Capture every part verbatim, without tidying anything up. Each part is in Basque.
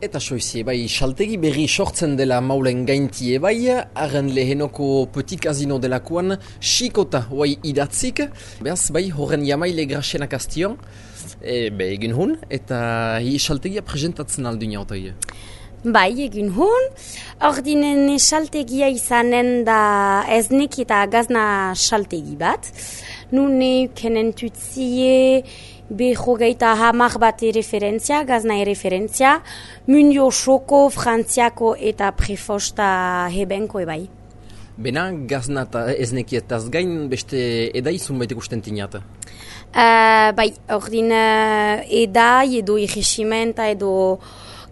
Eta soizie, bai, saltegi berri sortzen dela maulen gaintie bai, arren lehenoko Petit Casino delakoan, xikota guai idatzik, behaz, bai, horren jamaile graxenak aztion, e, be, egin hun, eta hi saltegia presentatzen aldu inautoi. Bai, egin hun, ordinen saltegia izanen da eznek eta gazna saltegi bat, nune kenen tutzie, behogeita hamar bat referentzia, gazna referentzia, mundio soko, frantziako eta prefosta hebenko ebai. Bena, gazna eta eznekietaz gain beste edai zunbait ikusten tinata? Uh, bai, ordin uh, edai edo irresimenta edo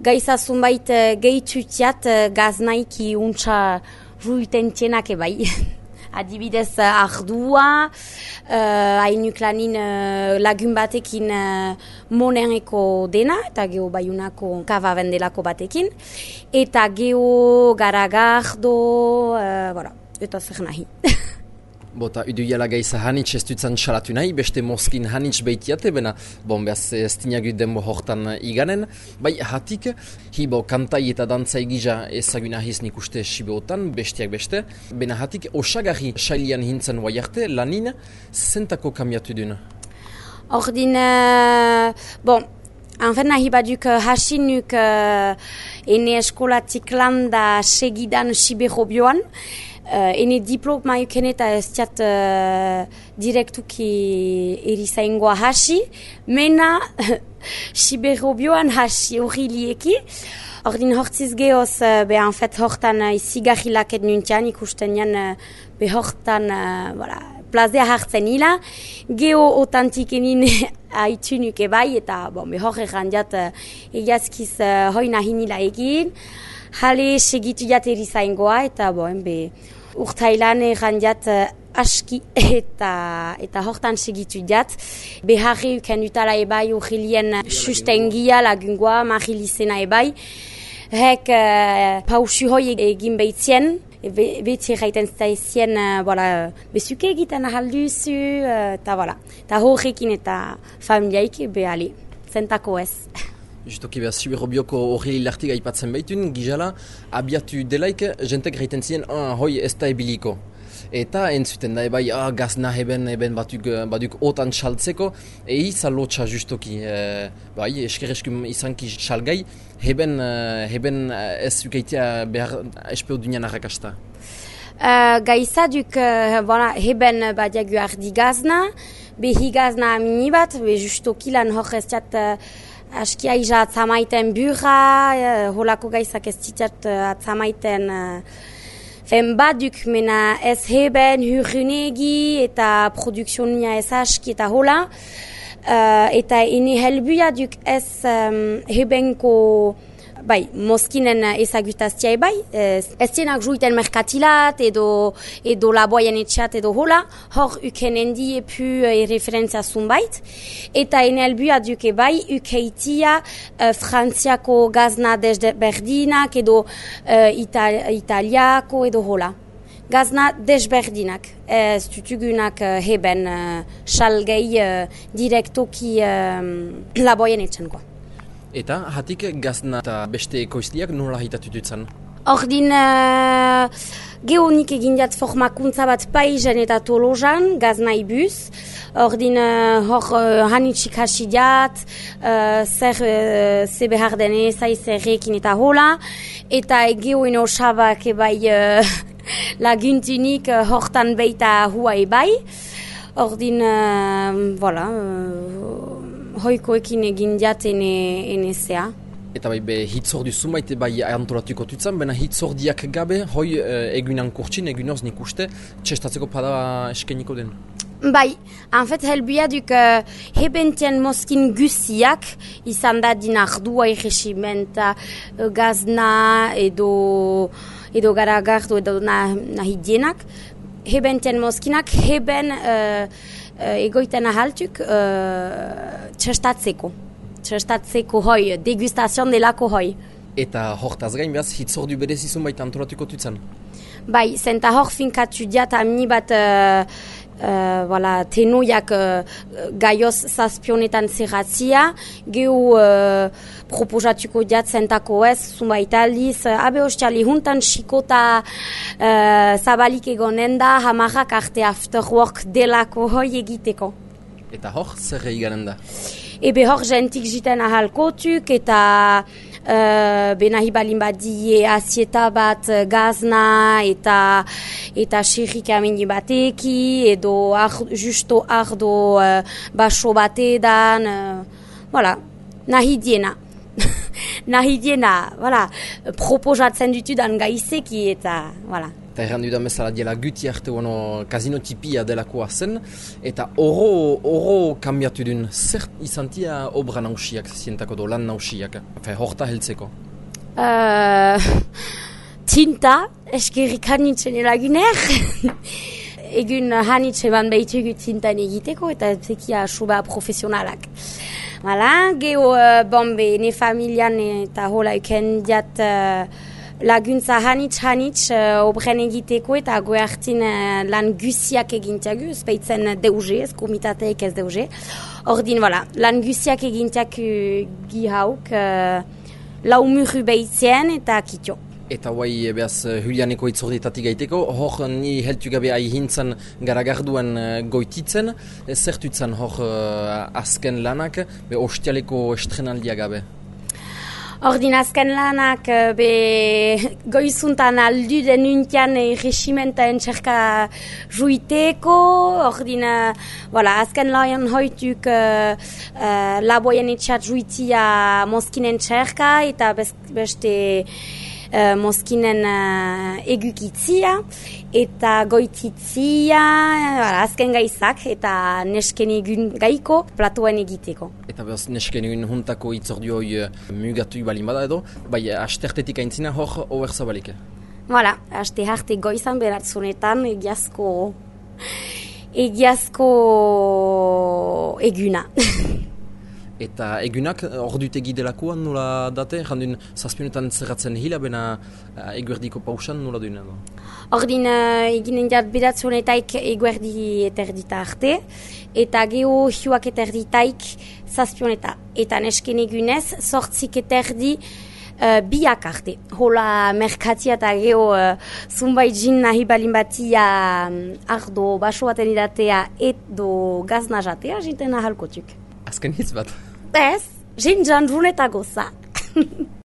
gaiza zunbait uh, gehitutiat uh, gaznaiki untsa ruiten tienak ebai. Adibidez ardua, uh, hainuk lanin uh, lagun batekin uh, moneneko dena, eta geho baiunako kava bendelako batekin, eta geho garagardo, uh, voilà, eta zer nahi. Bota, uduiala gaiza hanitz ez dutzen salatu nahi, beste moskin hanitz behitiate, bena, bon, behaz ez tinagut denbo hortan iganen. Bai, hatik, hibo kantai eta dantzai gija ezaguna hiz nik uste sibeotan, bestiak beste. Bena hatik, osagarri sailian hintzen guai arte, lanin, zentako kambiatu duen? Ordin, uh, bon, anfen nahi baduk hasi nuk uh, ene eskolatik landa segidan sibero bioan, Uh, ene diploma yuken eta ez tiat uh, direktuki erizaingoa hasi, mena Sibero bioan hasi hori lieki. Ordin hortziz gehoz, uh, be en fet hortan uh, izigarrilaket nuntian ikusten jan uh, be hortan uh, voilà, plazea hartzen hila. Geho otantik enin haitunuk ebai eta bon, be hor errandiat uh, egiazkiz uh, hoi nahin hila egin. Hale segitu jat erizaingoa eta bon, be urtailan errandiat uh, aski eta eta hortan segitu jat. Beharri uken utala ebai urrilien sustengia lagungoa marilizena ebai. Hek uh, pausu hoi egin behitzien, beti erraiten zaizien uh, voilà, bezuke egiten ahalduzu, eta uh, voilà. Eta horrekin eta familiaik behali, zentako ez. Justoki behaz, Sibero bioko hori lartiga ipatzen behitun, gizala, abiatu delaik, jentek reiten ziren, ah, hoi ez da ebiliko. Eta entzuten da, ebai, ah, gazna heben, heben batuk, baduk otan saltzeko, ei zalotxa justoki, e, bai, eskereskum izanki salgai, heben, heben ez ukeitea behar espeo dunian arrakasta. Uh, Gaiza duk, uh, voilà, heben badiagu ardi gazna, behi gazna amini bat, be justoki lan hor ez tiat, uh, askia iza atzamaiten burra, uh, holako gaizak ez zitat uh, atzamaiten uh, fen baduk, mena ez heben hurrunegi eta produkzionia ez aski eta hola. Uh, eta ene helbuia duk ez um, hebenko bai, moskinen ezagutaztia ebai, ez zienak juiten merkatilat edo, edo laboaien etxat edo hola, hor uken endi epu e, referentzia zunbait, eta ene helbua duk ebai ukeitia uh, frantziako gazna desberdinak edo uh, ita, italiako edo hola. Gazna desberdinak, ez tutugunak uh, heben uh, salgei uh, direktoki uh, laboaien etxan. Eta hatik gazna eta beste ekoizliak nola hitatu dutzen? Ordin uh, gehonik egin jat formakuntza bat Paizen eta Tolosan, gazna ibuz. Ordin uh, hor uh, hanitxik hasi jat, uh, zer uh, ze behar denez, zerrekin eta hola. Eta gehoin osabak ebai uh, laguntunik uh, hortan beita hua ebai. Ordin, uh, voilà... Uh, hoikoekin egin jat ene, ene zea. Eta bai, be, hitzordu zumait bai antolatuko tutzen, baina hitzordiak gabe, hoi e, egunan kurtsin, egunaz nik uste, txestatzeko pada eskeniko den? Bai, en fet helbua duk uh, hebentien moskin guziak, izan da din ardua irresimenta, uh, gazna edo, edo garagardo edo nahi dienak. Hebentien moskinak heben... Uh, Uh, egoiten ahaltuk uh, txestatzeko. Txestatzeko hoi, degustazion delako hoi. Eta hortaz gain behaz, hitzordu berezizun baita antolatuko tutzen? Bai, zenta hor finkatu diat amni bat uh, Uh, voilà, tenoiak uh, gaioz zazpionetan zerratzia, gehu uh, proposatuko jatzentako ez, zunbait aldiz, uh, abe hostiali huntan xikota uh, zabalik egonen da, hamarrak arte after work delako hoi egiteko. Eta hor, zer egaren da? Ebe hor jentik jiten ahalkotuk eta Uh, benahi balin badie azieta bat uh, gazna eta eta xerrik amini bateki edo ar, justo ardo uh, baso batedan uh, voilà, nahi diena nahi diena voilà, proposatzen ditudan gaizeki eta voilà. Eta errandu da bezala diela guti arte ono kasino tipia delakoa zen, eta oro, oro kambiatu duen, zer izantia obra nausiak, zientako do lan nausiak, fe horta heltzeko? Uh, tinta, eskerrik hanitzen elaguner. Egun hanitze ban behitugu tintan egiteko, eta zekia suba profesionalak. Hala, geho, uh, bombe, ne familian eta hola eken diat uh, laguntza hanitz hanitz uh, obren egiteko eta goertin uh, lan guziak egintiagu, speitzen deuge, ez komitateek ez deuge. Ordin, voilà, lan guziak egintiak uh, gihauk, uh, lau muru behitzen eta kitio. Eta guai, behaz, Julianeko itzordetatik gaiteko, hor ni heltu gabe aihintzen garagarduan uh, goititzen, zertutzen hor uh, azken lanak, be ostialeko estrenaldia gabe. Ordin azken lanak be goizuntan aldu denuntian regimenta entxerka juiteko, ordin voilà, azken lan hoituk uh, uh, laboien etxat juitia moskinen txerka eta beste uh, moskinen uh, egukitzia eta goititzia, voilà, azken gaizak eta nesken egun gaiko platoen egiteko. Eta behaz nesken egun juntako itzordioi uh, mugatu balin bada edo, bai astertetik aintzina hor oer zabalik. Voilà, aste harte goizan beratzunetan egiazko egiazko eguna. Eta egunak ordutegi delakoan nola date? Jandun zazpionetan zerratzen hila, bena uh, eguerdiko pausan nola duen edo? Ordin uh, eginen jat bedatzonetaik eguerdi eterdita arte, eta geho hiuak eterditaik zazpioneta. Eta nesken egunez, sortzik eterdi uh, biak arte. Hola merkatia eta geho uh, zunbait jin nahi balin batia um, ardo baso baten idatea edo gazna jatea jinten ahalkotuk. Azken hitz bat? Ez, jin jan runeta goza.